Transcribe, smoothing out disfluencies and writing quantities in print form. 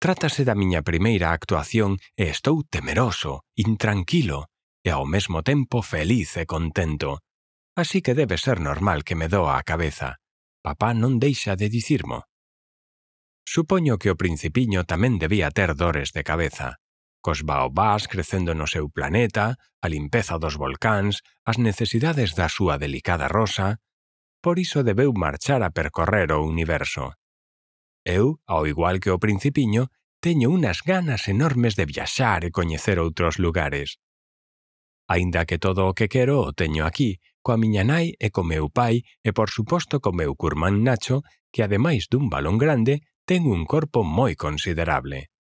Trátase da miña primeira actuación e estou temeroso, intranquilo e ao mesmo tempo feliz e contento. Así que debe ser normal que me doa a cabeza. Papá non deixa de dicirmo. Supoño que o principiño tamén debía ter dores de cabeza. Cos baobás crecendo no seu planeta, a limpeza dos volcáns, as necesidades da súa delicada rosa. Por iso debeu marchar a percorrer o universo. Eu, ao igual que o principiño, teño unas ganas enormes de viaxar e coñecer outros lugares. Aínda que todo o que quero o teño aquí, coa miña nai e co meu pai e por suposto co meu curmán Nacho, que ademais dun balón grande, ten un corpo moi considerable.